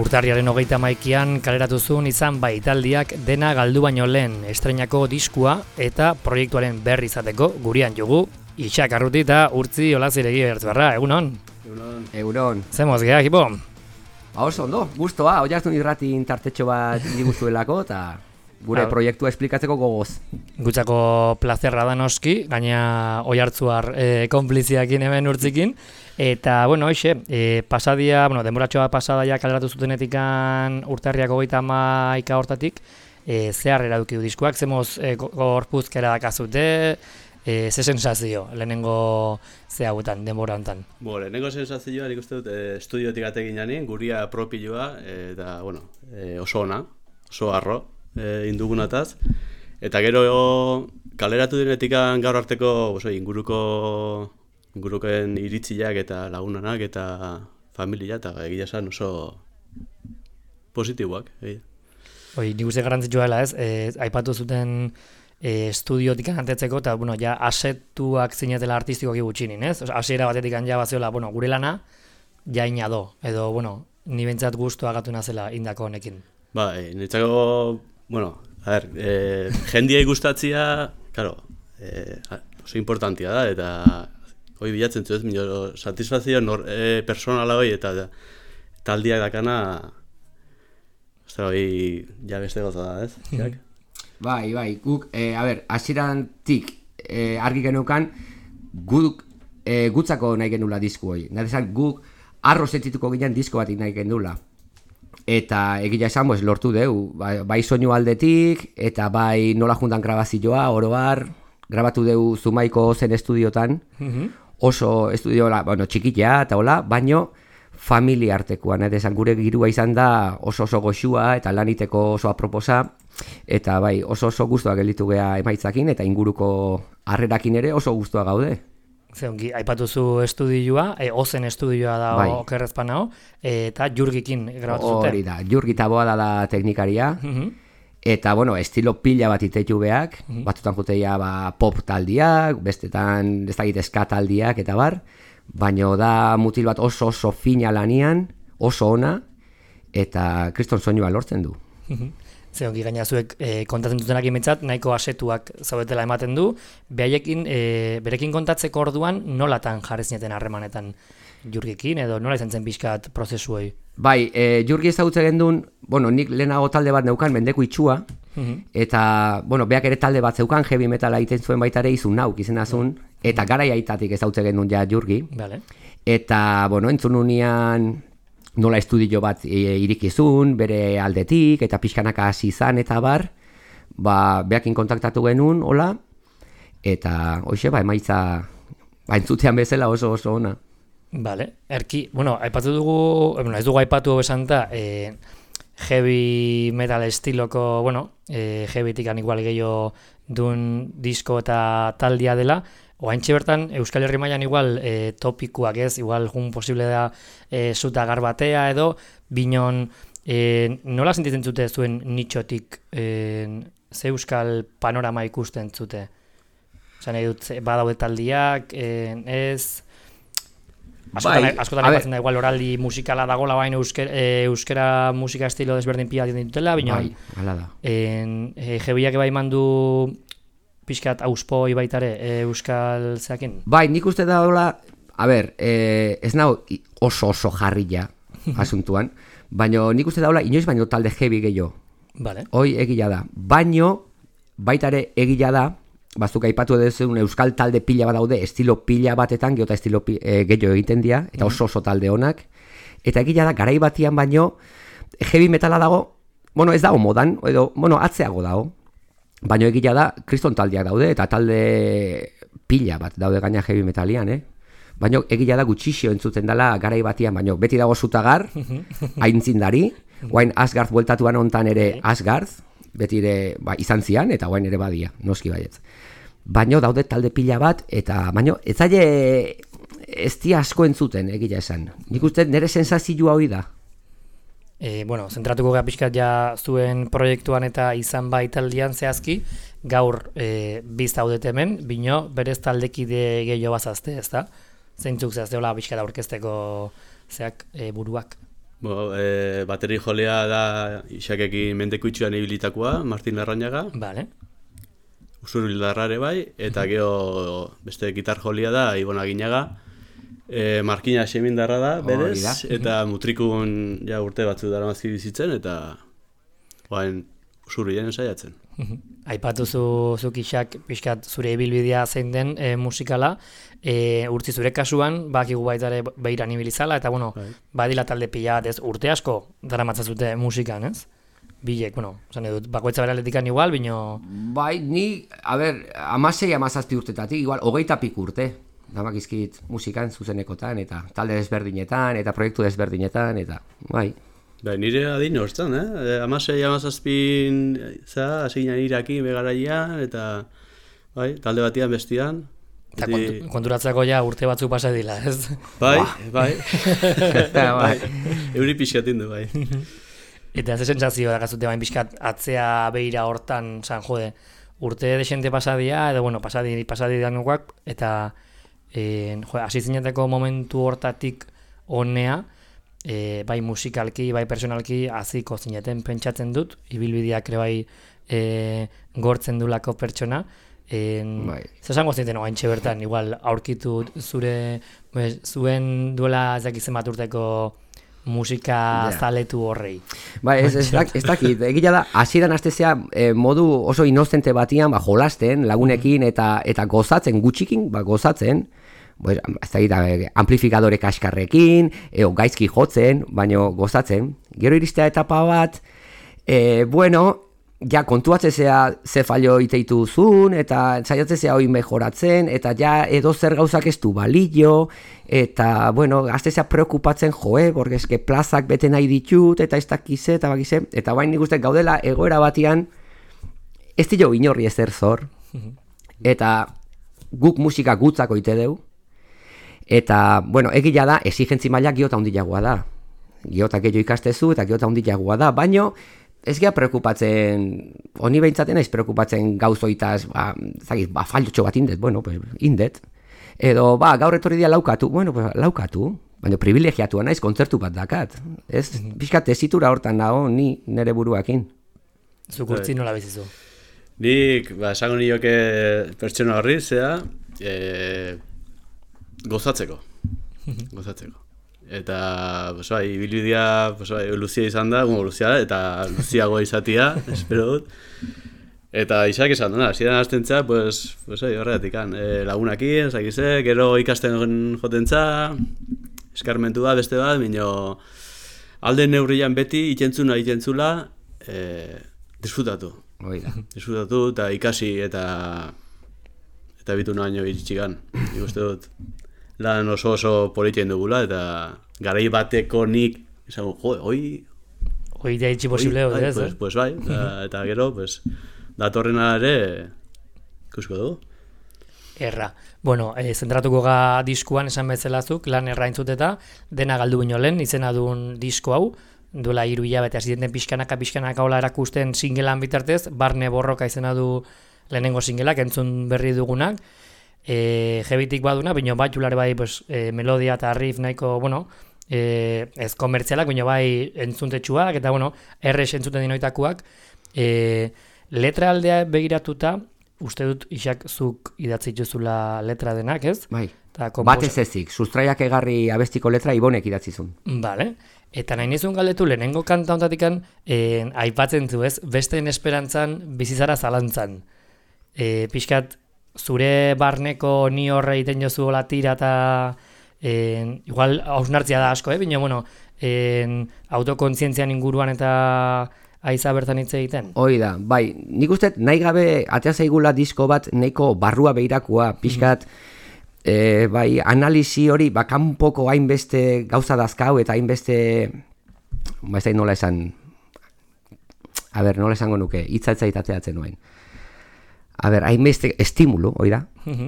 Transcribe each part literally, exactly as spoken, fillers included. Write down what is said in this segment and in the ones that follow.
Urtarriaren hogeita hamaikian kaleratu zuen izan baitaldiak dena galdu baino lehen estreinako diskua eta proiektuaren berri izateko gurean jugu Itxak Arruti eta Urtzi Olaziregi Bertzbarra, egunon? Egunon. Egunon. Zemoz geha, ekipo? Ba oso ondo, guztua, Oiartzun irratin tartetxo bat diguztuelako eta gure ha, proiektua esplikatzeko gogoz. Gutzako plazerra da noski, gaina Oiartzuar e, konpliziakin hemen Urtzikin. Eta, bueno, hoxe, e, pasadia, bueno, denboratxoa pasadaia kaleratu zutenetikan urtarriak hogeita hamaika hortatik, e, zehar eraduki du diskuak, zemoz e, gorpuzkera dakazute, e, ze sensazio, lehenengo ze hauetan, denbora hontan? Bo, lehenengo sensazioa, nik uste dut, e, estudiotik atekin jani, guria propilloa, e, eta, bueno, e, oso ona, oso arro, e, indugunataz, eta gero kaleratu dinetikan gaur arteko, oso, inguruko inguruken iritziak eta lagunanak eta familia eta egia esan oso positiboak. Hoi, nik uste garrantzitsua dela ez, e, aipatu zuten e, estudiotik antetzeko eta bueno, ja asetuak zinetela artistikoak gutxinin, ez? Osa, hasiera batetik ja baziola, bueno, gure lana ja inado, edo, bueno, ni bentsat gustua gatu nazela indako honekin. Ba, e, niretzako, bueno, a ver, e, jendiei gustatzia, claro, e, oso importantia da, eta hoi bilatzen zu ez, minio, satisfazio nor, e, personala hoi eta taldiak dakana, ez hoi, ja beste goza da, ez? Mm-hmm. Bai, bai, guk, e, a ber, hasirantik e, argi genukan, guk e, gutzako nahi genula disku hoi. Nahi guk arro zentzituko ginen disko batik nahi genula. Eta egia esan, pues, lortu deu, bai, bai soinu aldetik, eta bai nola juntan grabazioa, oroar, grabatu deu Zumaiko zen estudiotan, mm-hmm. Oso estudioa, bueno, txikitea eta hola, baino familia artekoan, eh, desan gure girua izan da oso oso goxua eta laniteko oso aproposa, eta bai, oso oso guztua gelditu gea emaitzakin, eta inguruko harrerakin ere oso guztua gaude. Zeongi, aipatuzu estudioa, e, ozen estudioa da bai. Okerrezpan hau, eta Jurgikin grabatu zuten. Hori da, Jurgi Taboada da teknikaria, mm-hmm. Eta, bueno, estilo pila bat itetu beak, mm-hmm. Batutan juteia ba, pop taldiak, bestetan ez dakit ska taldiak eta bar, baino da mutil bat oso oso fina lanian, oso ona, eta kriston soinua lortzen du. Mm-hmm. Zeongi gaina zuek e, kontatzen dutenak imentzat, nahiko asetuak zaudetela ematen du, behaiekin, e, berekin kontatzeko orduan nolatan jarri zineten harremanetan Jurgikin, edo nola izan zen pixkat prozesu hori? Bai, e, Jurgi ezagutze gendun, bueno, nik lehenago talde bat neukan, Mendeku Itxua, mm-hmm. Eta, bueno, beak ere talde bat zeukan, heavy metala egiten zuen baita ere izun nauk izenazun, mm-hmm. Eta garai aitatik ezagutze gendun ja Jurgi. Vale. Eta, bueno, entzun unian nola estudio bat e, irikizun, bere aldetik, eta pixkanaka hasi izan eta bar, ba, beakin kontaktatu genuen, hola, eta, hoxe, ba, emaitza, ba, entzutean bezala oso oso ona. Vale, erki, bueno, aipatu dugu, bueno, ez dugu aipatu besanta, eh, heavy metal estiloko, bueno, eh, heavytikan igual gehiago dun disko eta taldia dela, oaintxe bertan, Euskal Herri mailan igual eh, topikuak ez, igual jun posible da eh, zuta garbatea edo, binon, eh, nola sentitzen zute zuen nitxotik eh, ze euskal panorama ikusten zute? Osa nahi dut, badaude taldiak, eh, ez... Askotan, bai, askotan aipatzen da igual oraldi musikala dagoela baina euskera, e, euskera musika estilo desberdin pila ditutela, baina bai, hala da. En, e, jebiak bai mandu pixkat auspoi baitare e, euskal zeakin? Bai, nik uste da hola, a ber, e, ez nago oso oso jarrilla asuntuan, baina nik uste da hola inoiz baino talde jebi gehiago. Vale. Hoi egila da, baino baitare egila da, bazuk aipatu eduzun euskal talde pila bat daude, estilo pila batetan, geota estilo pi, e, gehiago egiten dira, eta oso oso talde honak. Eta egila da, garai batian baino, heavy metala dago, bueno, ez dago modan, edo, bueno, atzeago dago. Baino egila da, kriston taldeak daude, eta talde pila bat daude gaina heavy metalian, eh? Baino egila da gutxixio entzuten dela garai batian, baino beti dago Zutagar, aintzindari, guain Asgard bueltatuan hontan ere Asgard, beti ere ba, izan zian, eta guain ere badia, noski baietz. Baino daude talde pila bat, eta baino ez zaile ez di asko entzuten, egia esan. Nik uste nire sensazioa hori da. E, bueno, zentratuko gara pixkat ja zuen proiektuan eta izan bai taldean zehazki, gaur e, biz zaudete hemen, bino berez taldekide gehiago bazazte, ez da? Zeintzuk zehazte hola pixkat aurkezteko zeak e, buruak? Bo, e, bateri jolea da Isakekin mendekuitxuan ibilitakoa, Martin Larrañaga. Vale. Usurbildarrare bai, eta gero beste gitar jolia da Ibon Aginaga. E, Markina Xemindarra da, berez, da. eta mutrikun ja urte batzu dara mazki bizitzen, eta bain usurbilen saiatzen. Aipatu zu, zuk Isak pixkat zure ibilbidea zein den e, musikala, e, urtzi zure kasuan, bakigu baita ere behiran ibilizala, eta bueno, Bai. badila talde pila bat, ez, urte asko dara matzazute musikan, ez? Bilek, bueno, zan edut, bakoitza beraletikan igual, bino... Bai, ni, a ber, amasei, amazazpi urtetatik, igual, hogeita pik urte. Damakizkit musikan zuzenekotan, eta talde desberdinetan, eta proiektu desberdinetan, eta, bai. Bai, nire adin hortzen, eh? Amasei, amazazpin, za, hasi ginen iraki begaraian, eta bai, talde batian bestian. Eta Eti- kontu, konturatzeko ja urte batzu pasa dila, ez? Bai, bai. bai. Euri pixatin du, bai. Eta ze sensazio da gazute bain pixkat atzea behira hortan, zan jode, urte desente pasadia, edo bueno, pasadi, pasadi danuak, eta e, jode, hasi zineteko momentu hortatik honea, e, bai musikalki, bai personalki haziko zineten pentsatzen dut, ibilbideak ere bai e, gortzen dulako pertsona, En, Bai. Zesango zinten oaintxe bertan, igual aurkitu zure, bez, zuen duela ez dakizen bat urteko musika Ja. zaletu horrei. Bai, ez, ez, dak- ez dakit, egia da, hasieran hastezea e, modu oso inozente batian, ba, jolasten, lagunekin, eta eta gozatzen, gutxikin, ba, gozatzen, pues, ez dakit, eh, amplifikadore kaskarrekin, eo gaizki jotzen, baino gozatzen. Gero iristea etapa bat, e, bueno, ja kontuatzezea ze fallo iteitu zuen, eta saiatzezea hoi mejoratzen, eta ja edo zer gauzak ez du balio, eta, bueno, gaztezea preokupatzen joe, borgezke plazak bete nahi ditut, eta ez dakize, eta bakize, eta bain nik uste gaudela egoera batian, ez dio inorri ezer zor, eta guk musika gutzako ite deu, eta, bueno, egia da, exigentzi maila giota handiagoa da. Giota gehiago ikastezu, eta giota handiagoa da, baino, ez gea preokupatzen, honi behintzaten naiz preokupatzen gauzoitaz, ba, zagit, ba, fallotxo bat indet, bueno, pues, indet. Edo, ba, gaur etorri dia laukatu, bueno, pues, laukatu, baina privilegiatua naiz, kontzertu bat dakat. Ez, pixkat tesitura hortan nago, ni nere buruakin. Zuk urtzi nola bizizu. Nik, ba, esango nioke pertsona horri, zea, e, gozatzeko. Gozatzeko. Eta, pues, bai, ibilbidea, pues, bai, luzia izan da, bueno, luzia da, eta luziago izatia, espero dut. Eta Isak esan dena, ziren aztentza, pues, pues, bai, horregatik, e, lagunakin, ezakize, gero ikasten jotentza, eskarmentu da, beste bat, minio, alde neurrian beti, itentzuna, itentzula, e, disfrutatu. Hoi da. Disfrutatu eta ikasi eta eta bitu naino iritsigan. Nik uste dut lan oso oso politien dugula eta garai bateko nik esango, jo, hoi Hoi da itxi posible bai, ez, pues, eh? pues bai, eta, eta gero pues datorrena ere ikusko dugu. Erra. Bueno, e, zentratuko ga diskuan esan bezalazuk, lan erra entzuteta, dena galdu bino lehen, izena duen disko hau, duela hiru hilabete hasi den pixkanaka pixkanaka hola erakusten singelan bitartez, Barne Borroka izena du lehenengo singelak, entzun berri dugunak, e, jebitik baduna, bino bat julare bai pues, e, melodia eta riff nahiko, bueno, e, ez komertzialak, bino bai entzuntetxuak, eta bueno, errex entzuten dinoitakuak, e, letra aldea begiratuta, uste dut Isak zuk idatzi dituzula letra denak, ez? Bai, Ta bat ez ezik, sustraiak egarri abestiko letra Ibonek idatzizun. Vale. Eta nahi nizun galdetu lehenengo kanta ontatikan eh, aipatzen zu ez, besteen esperantzan bizizara zalantzan. E, pixkat, zure barneko ni horre iten jozu hola tira eta eh, igual hausnartzia da asko, eh? Bino, bueno, eh, autokontzientzian inguruan eta aiza bertan hitz egiten. Hoi da, bai, nik uste nahi gabe atea zaigula disko bat nahiko barrua behirakua, pixkat, e, bai, analisi hori, ba, kanpoko hainbeste gauza dazkau eta hainbeste, ba, ez da nola esan, a ber, nola esango nuke, hitzatzait ateatzen nuen. A ber, hainbeste estimulo, hoi da,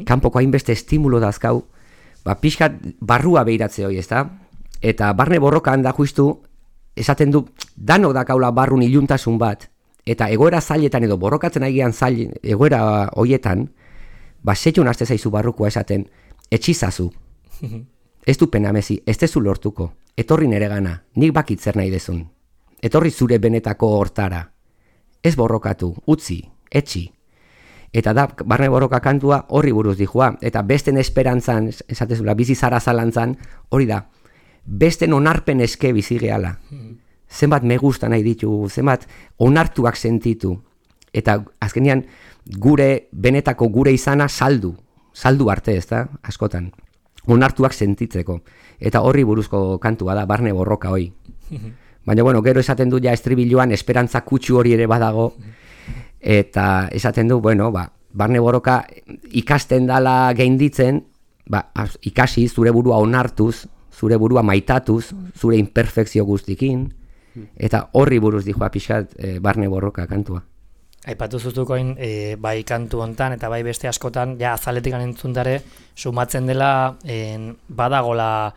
kanpoko hainbeste estimulo dazkau, ba, pixkat barrua behiratze hori, ez da? Eta Barne Borrokan da justu, esaten du, danok dakaula barrun iluntasun bat, eta egoera zailetan edo borrokatzen agian zail, egoera hoietan, ba, setxun aste zaizu barrukoa esaten, etxizazu. Ez du pena mezi, ez tezu lortuko. Etorri nere gana, nik bakit zer nahi dezun. Etorri zure benetako hortara. Ez borrokatu, utzi, etxi. Eta da, barne borroka kantua horri buruz dihua. Eta besten esperantzan, esatezula, bizi zara zalantzan, hori da. Besten onarpen eske bizi gehala. Zenbat me gusta nahi ditu, zenbat onartuak sentitu. Eta azkenean gure benetako gure izana saldu. Saldu arte, ez da, askotan. Onartuak sentitzeko. Eta horri buruzko kantua da, barne borroka hoi. Baina, bueno, gero esaten du ja estribiluan esperantza kutsu hori ere badago. Eta esaten du, bueno, ba, barne borroka ikasten dala gainditzen, ba, ikasi zure burua onartuz, zure burua maitatuz, zure imperfekzio guztikin, eta horri buruz dijoa pixat e, barne borroka kantua. Aipatu zuzukoin, e, bai kantu hontan eta bai beste askotan, ja azaletik entzundare, sumatzen dela en, badagola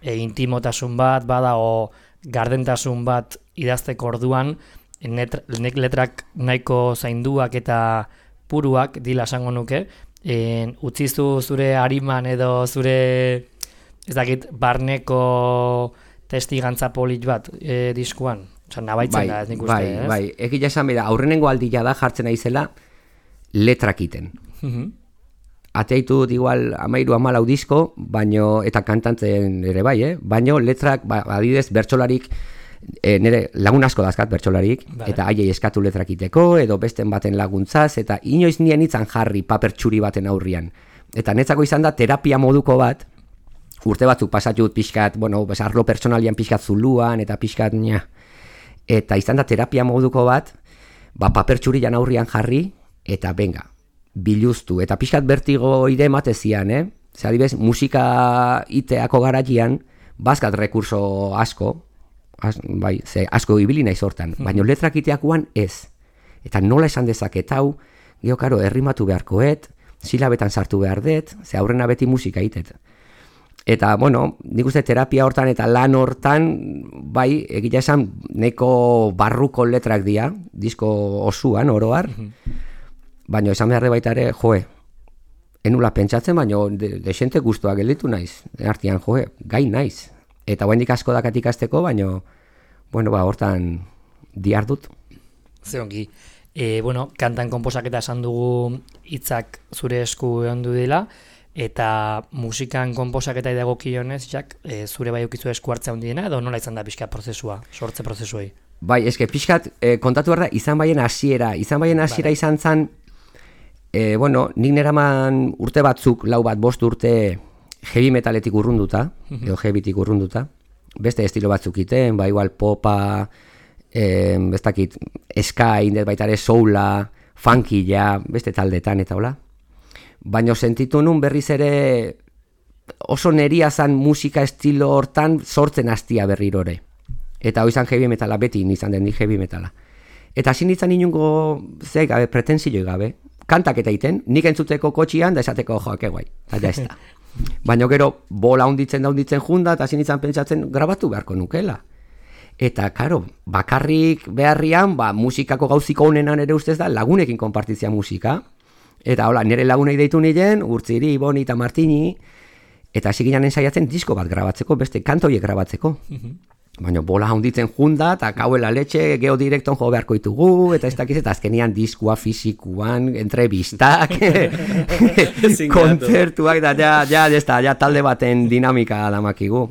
e, intimotasun bat, badago gardentasun bat idazteko orduan, net, nek letrak nahiko zainduak eta puruak dila esango nuke, en, utzizu zure hariman edo zure, ez dakit, barneko testigantza polit bat e, diskuan. Osa, nabaitzen bai, da, ez nik uste, bai, ez? Bai, egia esan bera, aurrenengo aldia da jartzen aizela letrakiten. Uh-huh. Ateitu dut igual amairu amalau disko, baino, eta kantantzen ere bai, eh? Baino letrak, ba, adidez, bertsolarik, e, nire lagun asko dazkat bertsolarik, vale. Eta haiei eskatu letrakiteko, edo besten baten laguntzaz, eta inoiz nien itzan jarri paper txuri baten aurrian. Eta netzako izan da terapia moduko bat, urte batzuk pasatut pixkat, bueno, arlo personalian pixkat zuluan, eta pixkat, nia. Eta izan da terapia moduko bat, ba, paper txurian aurrian jarri, eta benga, biluztu. Eta pixkat bertigo ide ematezian, eh? Zer adibez, musika iteako garatian, bazkat rekurso asko, az, bai, ze asko ibili naiz hortan, baina letrak iteakoan ez. Eta nola esan dezaket hau, geho karo, errimatu beharkoet, silabetan sartu behar dut, ze aurrena beti musika itet. Eta, bueno, nik uste terapia hortan eta lan hortan, bai, egia esan, neko barruko letrak dira, disko osuan, oroar, baina esan behar de baita ere, joe, enula pentsatzen, baina de, desente guztua gelditu naiz, artian, joe, gai naiz. Eta guendik asko dakat ikasteko, baina, bueno, ba, hortan diardut. Ze ongi. E, bueno, kantan konposaketa esan dugu hitzak zure esku ondu dela, eta musikan konposaketa idagokionez, jak, e, zure bai ukizu esku hartzea handiena, edo nola izan da pixka prozesua, sortze prozesuei? Bai, eske pixkat, e, kontatu behar da, izan baien hasiera, izan baien hasiera vale. Izan zan, e, bueno, nik neraman urte batzuk, lau bat bost urte heavy metaletik urrunduta, uh-huh. edo heavytik urrunduta, beste estilo batzuk iten, ba, igual popa, e, bestakit, ska, indet baita ere soula, funkilla, beste taldetan eta hola. Baina sentitu nun berriz ere oso neria zan musika estilo hortan sortzen hastia berrirore. Eta hoi zan heavy metala, beti izan den heavy metala. Eta hasi nintzen inungo, ze gabe, pretensioi gabe, kantak eta iten, nik entzuteko kotxian, da esateko joak eguai, eta ez da. Baina gero, bola hunditzen da hunditzen junda, eta hasi nintzen pentsatzen grabatu beharko nukela. Eta, karo, bakarrik beharrian, ba, musikako gauziko honenan ere ustez da, lagunekin konpartitzia musika. Eta hola, nire lagunei deitu niren, Urtziri, Boni eta Martini, eta hasi ginen ensaiatzen disko bat grabatzeko, beste kantoiek grabatzeko. Uh-huh. Baina bola handitzen junda, eta kauela letxe, geodirekton jo beharko ditugu, eta ez dakiz, eta azkenian diskua fizikuan, entrevistak, kontzertuak, eta ja, ja, ja, ja talde baten dinamika damakigu.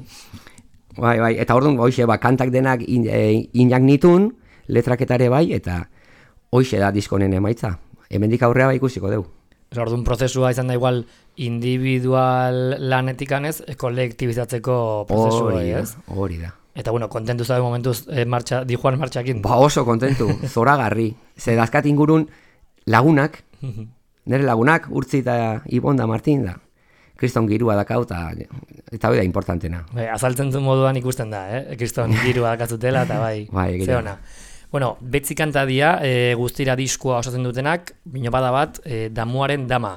Bai, bai, eta orduan, hoxe, ba, kantak denak in, e, inak nitun, letraketare bai, eta hoxe da diskonen emaitza. Hemendik aurrea bai ikusiko dugu. Orduan prozesua izan da igual individual lanetik anez, kolektibizatzeko prozesua, ez? Hori da. Eta bueno, kontentu zabe momentuz eh, martxa, di Juan martxakin. Ba oso kontentu, zoragarri. Ze dazkat ingurun lagunak, nire lagunak, Urtzi eta Ibon da Martin da. Kriston girua dakau eta eta hori da importantena. Bai, azaltzen du moduan ikusten da, eh? Kriston girua dakatzutela eta bai, bai zeona. Bueno, betzi kanta dia, e, guztira diskoa osatzen dutenak, bino bada bat, e, damuaren dama.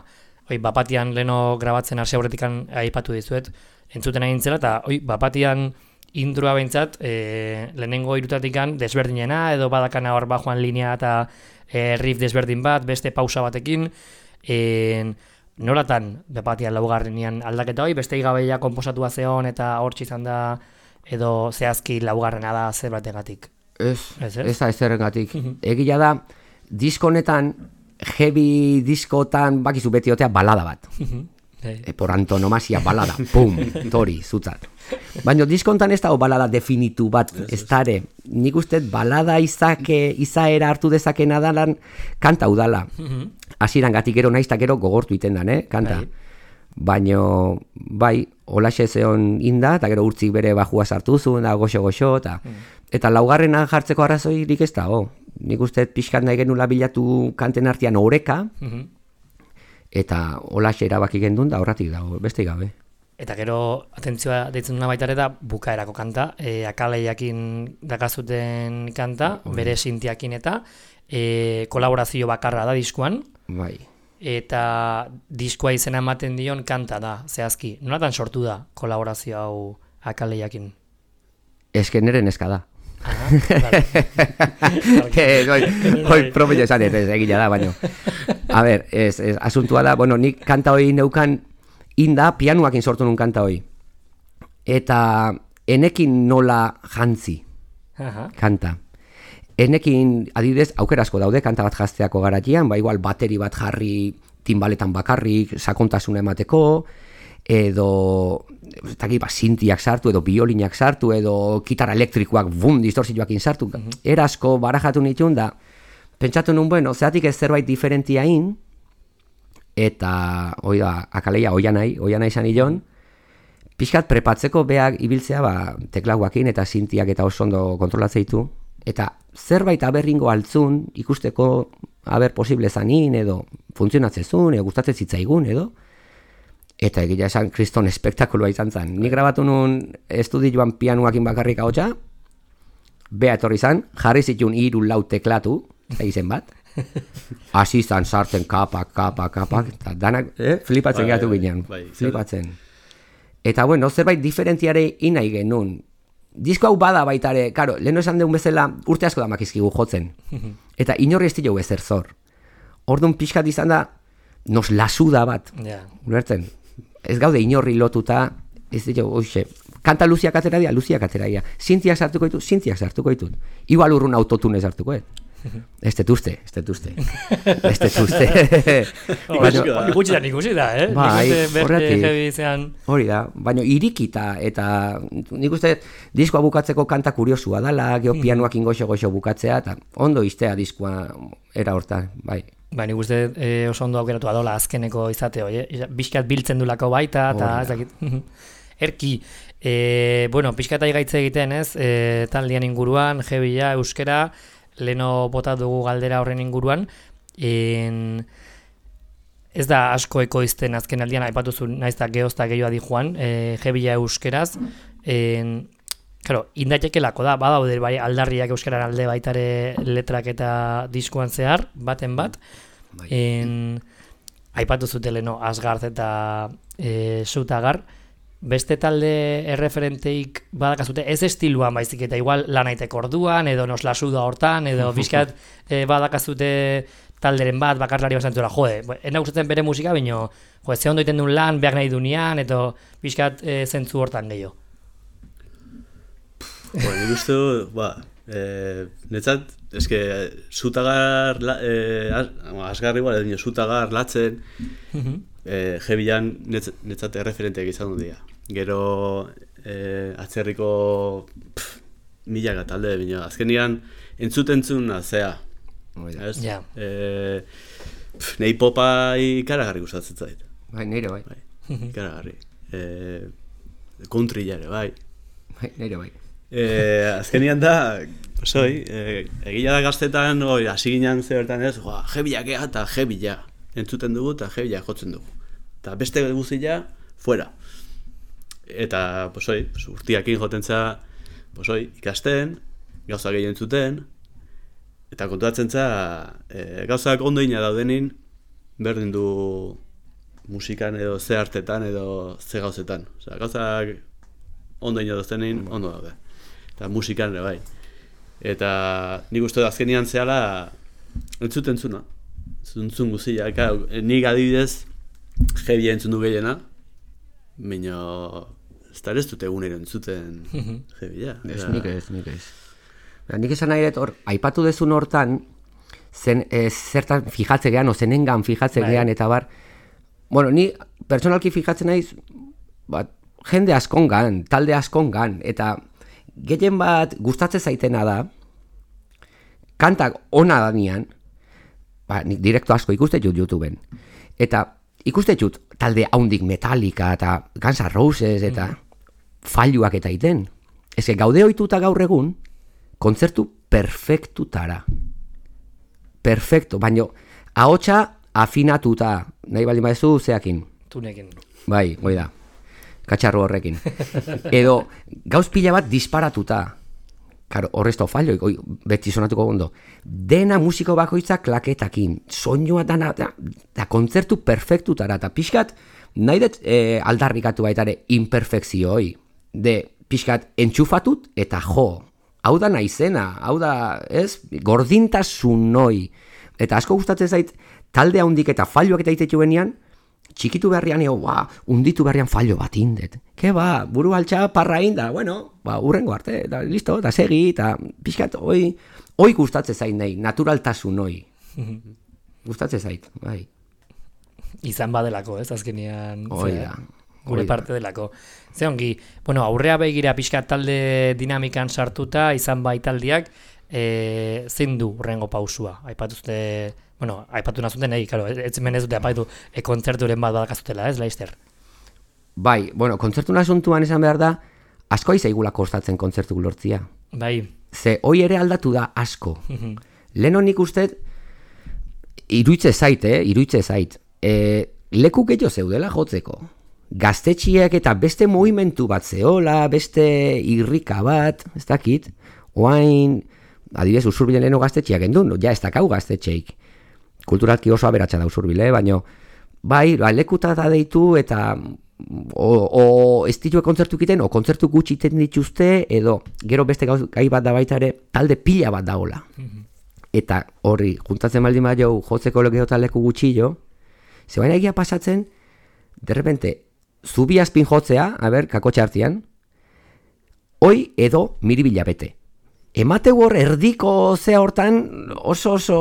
Hoi, bapatian leno grabatzen hasi aurretikan aipatu dizuet, entzuten egin zela, eta hoi, bapatian introa behintzat, e, lehenengo irutatikan desberdinena, edo badakana hor bajoan linea eta e, riff desberdin bat, beste pausa batekin, e, nolatan bepatian laugarrenean aldaketa hori, beste gabeia konposatua zeon eta hortxe izan da edo zehazki laugarrena da zer bategatik? Ez, ez, ez da ezerrengatik. Egia da, disko honetan, heavy diskotan bakizu beti otea balada bat. E, por antonomasia balada, pum, tori, zutzat. Baina diskontan ez dago balada definitu bat, ez dare. Nik uste balada izake, izaera hartu dezakena dalan kanta udala. Hasieran gatik gero naizta gero gogortu iten dan, eh, kanta. Baina, bai, holaxe zeon inda, eta gero urtzik bere bajua sartu zuen, da goxo-goxo, eta, eta laugarrena jartzeko arrazoirik ez dago. Nik uste pixkat nahi genula bilatu kanten artean oreka, eta holaxe erabaki gendun da horratik dago, beste gabe. Eta gero, atentzioa deitzen duna baita ere da, bukaerako kanta, e, akaleiakin dakazuten kanta, Oi. Bere sintiakin eta e, kolaborazio bakarra da diskuan. Bai. Eta diskoa izena ematen dion kanta da, zehazki. Nolatan sortu da kolaborazio hau akaleiakin? Eske nere neska da. Ah, vale. Hoi, hoi, propio esan ez, egila da, baino. A ber, ez, ez, asuntua da, bueno, nik kanta hoi neukan inda, pianuakin sortu nun kanta hoi. Eta enekin nola jantzi, Aha. kanta. Enekin, adidez, aukerasko daude kanta bat jazteako garatian, ba igual bateri bat jarri timbaletan bakarrik, sakontasuna emateko, edo taki, ba, sintiak sartu, edo biolinak sartu, edo kitara elektrikoak bum, distorsioakin sartu. Uh-huh. Erasko barajatu nituen da, pentsatu nun, bueno, zeatik ez zerbait diferentiain, eta, oi da, akaleia oianai, oianai izan ilon, pixkat prepatzeko beak ibiltzea, ba, teklauakin eta sintiak eta oso ondo kontrolatzeitu, eta zerbait aberringo altzun, ikusteko aber posible zanin, edo funtzionatzezun, edo gustatzen zitzaigun, edo, eta egia esan kriston espektakuloa izan zen. Ni grabatu nun estudioan pianuakin bakarrik ahotsa, bea etorri zan, jarri zitun hiru lau teklatu, eta izen bat, hasi zan sartzen kapak, kapak, kapak, eta danak eh, flipatzen bai, gehatu bai, ginen, bai, flipatzen. Eta bueno, zerbait diferentiare inai genuen. Disko hau bada baitare, karo, leheno esan deun bezala urte asko da makizkigu jotzen, eta inorri ez dilo ezer zor. Orduan pixkat izan da, nos lasuda bat, yeah. Ulertzen? Ez gaude inorri lotuta, ez dira, oixe, kanta luziak atera dira, luziak atera dira. Sintiak sartuko ditut, sintiak sartuko ditut. Igual urrun autotunez sartuko, eh? Ez detuzte, ez detuzte. Ez detuzte. Hori gutxitan ikusi da, eh? Bai, horretik. Hori da, baina irikita, eta nik uste diskoa bukatzeko kanta kuriosua dala, geho pianuakin goxo-goxo bukatzea, eta ondo iztea diskoa era hortan, bai. Ba, nik uste e, oso ondo aukeratu adola azkeneko izate hori, eh? Bizkat biltzen dulako baita, eta ez dakit. Erki, e, bueno, pixkat aigaitze egiten, ez? E, taldean inguruan, jebila, euskera, leno bota dugu galdera horren inguruan, en, ez da asko ekoizten azken aldian, aipatu zu naizta geozta gehioa di joan, e, jebila euskeraz, en, claro, indaitekelako da, badaude bai aldarriak euskaran alde baitare letrak eta diskoan zehar, baten bat, en, aipatu zutele no, Asgard eta e, Sutagar, beste talde erreferenteik badakazute, ez estiluan baizik eta igual lanaitek orduan, edo nos lasuda hortan, edo bizkat e, badakazute talderen bat, bakarlari basantzura, jode, ena gustatzen bere musika, baina jode, ze ondo iten duen lan, behar nahi dunean, edo bizkat e, zentzu hortan gehiago. Bueno, nik uste du, ba, eh, netzat, eske, Sutagar, eh, Asgar igual, edo Sutagar latzen, eh, jebilan netzat, netzat erreferenteak izan dut dira. Gero, eh, atzerriko pff, milaka talde, bina, azkenian entzutentzuna zea. Ez? Yeah. Eh, pff, nei popa ikaragarri gustatzen zait. Bai, nire bai. Bai, ikaragarri. Eh, country jare, bai. Bai, nire bai. Eh, azkenian da, soi, eh, egila da gaztetan, oi, hasi ginen ze bertan ez, joa, jebilak ea eta jebila. Entzuten dugu eta jebila jotzen dugu. Eta beste guztia, fuera. Eta, posoi, urtiakin joten za, posoi, ikasten, gauza gehien entzuten, eta kontuatzen za, e, gauzak ondo ina daudenin, berdin du musikan edo ze artetan edo ze gauzetan. Osea, gauzak ondo ina daudenin, ondo daude. Eta musikan ere bai. Eta nik uste da azkenian zehala entzuten zuna. Zuntzun guzia. Nik adibidez, heavy entzun du gehiena, baina ez da ez dute egunero entzuten heavy, ja. Ez, nik ez, nik ez. Nik esan nahi dut, hor, aipatu dezun hortan, zen, e, zertan fijatze gehan, o zenengan fijatze gehan, eta bar, bueno, ni personalki fijatzen naiz, bat, jende askongan, talde askongan, eta gehien bat gustatzen zaitena da, kantak ona da nian, ba, nik direkto asko ikuste jut YouTubeen, eta ikuste jut talde haundik Metallica eta Guns N' Roses eta mm. falluak eta iten. Ez que gaude ohituta gaur egun, kontzertu perfektutara. Perfekto, baina ahotsa afinatuta, nahi baldin badezu zeakin. Tunekin. Bai, hoi da, katxarro horrekin. Edo gauz pila bat disparatuta. Karo, horrezto fallo, beti sonatuko gondo. Dena musiko bakoitza klaketakin, soinua dana, da, da kontzertu perfektutara, eta pixkat, nahi dut e, aldarrikatu baitare imperfekzioi. De, pixkat, entxufatut eta jo. Hau da naizena, hau da, ez, gordintasun noi. Eta asko gustatzen zait, talde handik eta falloak eta itetu benian, txikitu beharrian eo, ba, unditu beharrian fallo bat indet. Ke ba, buru altxa parra inda, bueno, ba, urrengo arte, eta listo, eta segi, eta pixkat, oi, oi gustatzen zait nahi, naturaltasun oi. Gustatzen zait, bai. Izan badelako, ez, azkenean. Oi da. Gure parte delako. Ze ongi, bueno, aurrea begira pixkat talde dinamikan sartuta, izan bai taldiak, e, zein du urrengo pausua? Aipatuzte... Bueno, aipatu nazuten, nahi, claro, ez hemen ez dute apaitu e, kontzerturen bat badakazutela, ez, Laister? Bai, bueno, kontzertu nasuntuan esan behar da, asko aizaigula kostatzen kontzertu lortzia. Bai. Ze, hoi ere aldatu da asko. Leheno nik uste, iruitze zait, eh, iruitze zait. E, leku gehiago zeudela jotzeko. Gaztetxiek eta beste movimentu bat zeola, beste irrika bat, ez dakit, oain, adibidez, Usurbilen leheno gaztetxiak endun, ja ez dakau gaztetxeik. Kulturalki oso aberatsa da Usurbile, baina bai, ba, lekuta da deitu eta o, o ez ditue kontzertu egiten, o kontzertu gutxi iten dituzte, edo gero beste gai bat da baita ere, talde pila bat daola. Mm-hmm. Eta horri, juntatzen baldin bat jau, jotzeko legeo leku gutxillo, ze baina egia pasatzen, derrepente, zubi azpin jotzea, a ber, kakotxe hartzian, hoi edo miribila bete. Emate hor erdiko zea hortan oso oso,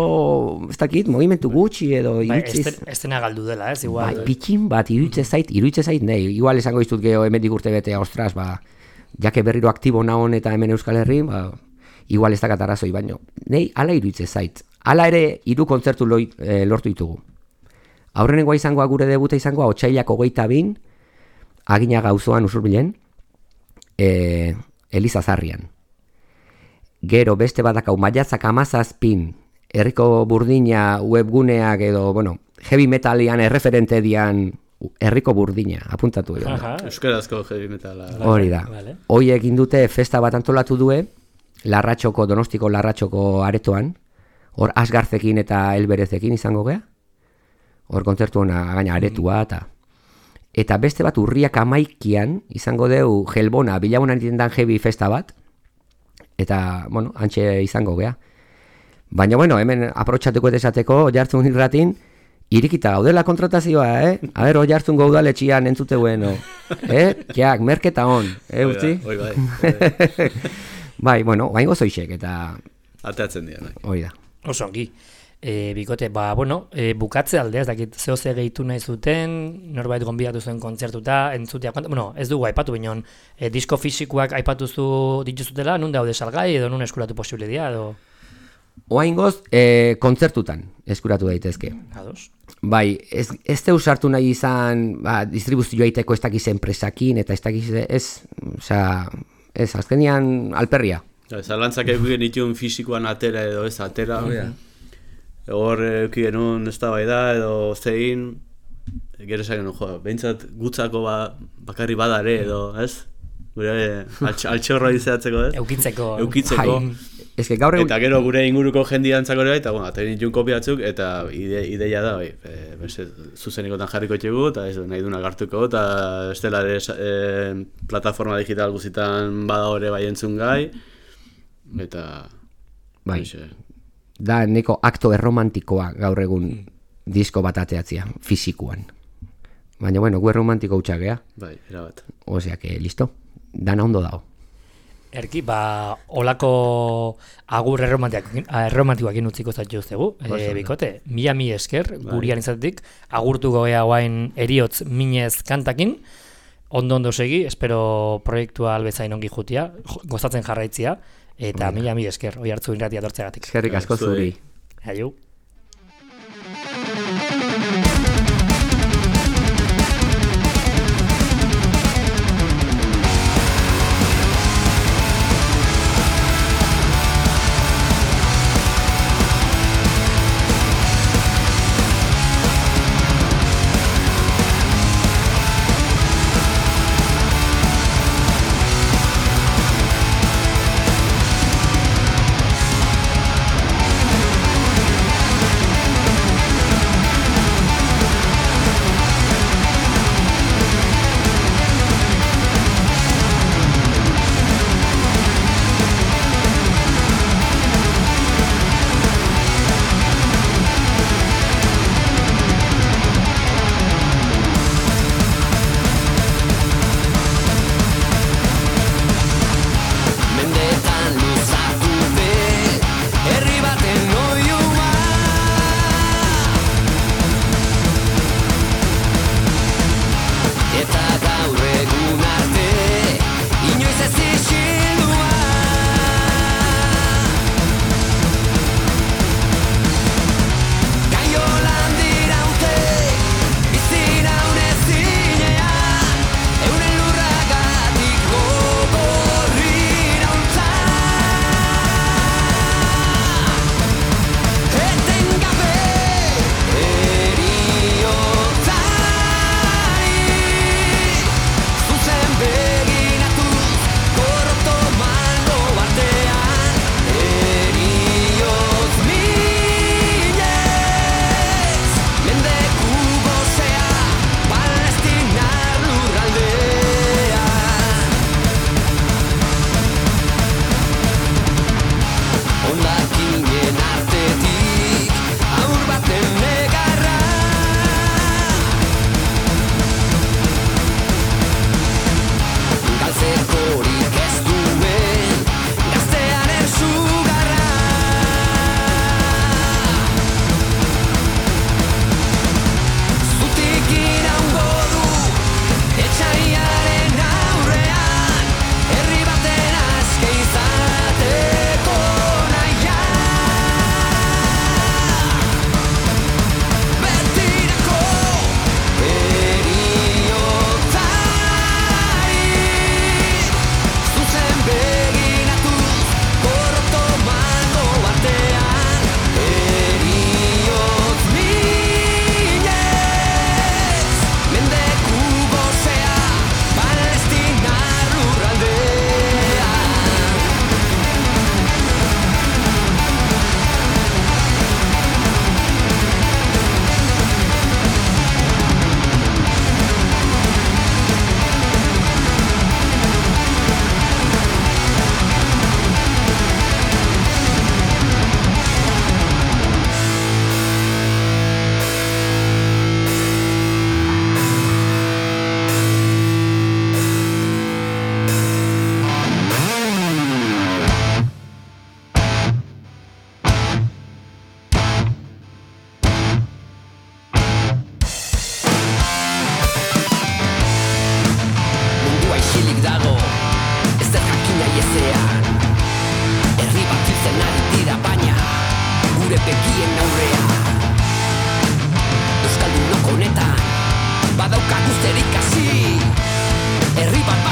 ez dakit, movimentu gutxi edo iruitziz... Bai, estena galdu dela, ez, igual... Bai, pitxin bat, iruitze zait, iruitze zait, nahi, igual esango iztut geho hemendik urte betea, ostras, ba, jake berriro aktibo nahon eta hemen Euskal Herri, ba, igual ez dakat arazoi, baino, nahi, ala iruitze zait. Ala ere, hiru kontzertu loi, e, lortu ditugu. Aurrenengoa izangoa gure debuta izangoa, otsailak hogeita bin, Aginaga auzoan Usurbilen, e, Elizazarrian. Gero beste badakau maiatzak hamazazpin, herriko burdina webguneak edo, bueno, heavy metalian erreferente dian herriko burdina, apuntatu edo. Euskarazko heavy metala. Hori da. Hoi egin dute festa bat antolatu due, Larratxoko, Donostiko Larratxoko aretoan, hor Asgarzekin eta Elberezekin izango gea, hor kontzertu hona gaina aretua eta... Eta beste bat urriak amaikian izango deu Gelbona, Bilabonan itendan heavy festa bat, eta, bueno, antxe izango gea. Baina, bueno, hemen aprotxatuko esateko, jartzun irratin, irikita gaudela kontratazioa, eh? A ber, oi jartzun gaudaletxian entzuteuen, no? Eh? Kiak, merketa hon, eh, utzi? Oi, bai. Bai, bueno, baingo zoixek, eta... Ateatzen dira, nahi. Hoi da. Oso ongi. E, bikote, ba, bueno, e, bukatze aldea, ez dakit, zeo ze gehitu nahi zuten, norbait gonbidatu zuen kontzertuta, entzutea, bueno, ez dugu aipatu bineon, e, disko fisikoak aipatuzu dituzutela, nun daude salgai, edo nun eskuratu posible dira, edo... Oaingoz, e, kontzertutan eskuratu daitezke. Ados. Bai, ez, ez teu sartu nahi izan, ba, distribuzioa iteko ez dakiz enpresakin, eta ez dakiz, ez, oza, ez, azkenian alperria. Zalantzak egin itun fisikoan atera edo ez atera, mm-hmm. Hor euki genuen ez da bai da, edo zein, gero esan genuen, jo, behintzat gutzako ba, bakarri badare edo, ez? Gure altx, altxorra izatzeko, ez? Eukitzeko. Eukitzeko. Ez que gaur egun... Eta gero gure inguruko jendiantzako ere, eta bueno, aterin ditun kopiatzuk, eta ide, ideia da, bai, e, beste, zuzenikotan jarriko txegu, eta ez nahi duna gartuko, eta ez dela ere e, plataforma digital guzitan bada hori bai entzun gai, eta... Bai. Eixe, da neko akto erromantikoa gaur egun disko bat ateatzea, fisikuan. Baina, bueno, gu erromantiko hutsak gea. Bai, erabat. Osea, que, listo, dana ondo dago. Erki, ba, olako agur erromantikoakin utziko zaitxu zegu, e, bikote, mila mi esker, gurian izatetik, agurtuko gea guain eriotz minez kantakin, ondo-ondo segi, espero proiektua albezain ongi jutia, gozatzen jarraitzia, eta mila mi esker, oi hartzu irratia dortzegatik. Eskerrik asko zuri. Aiu. Badaukagu zer ikasi, herri bat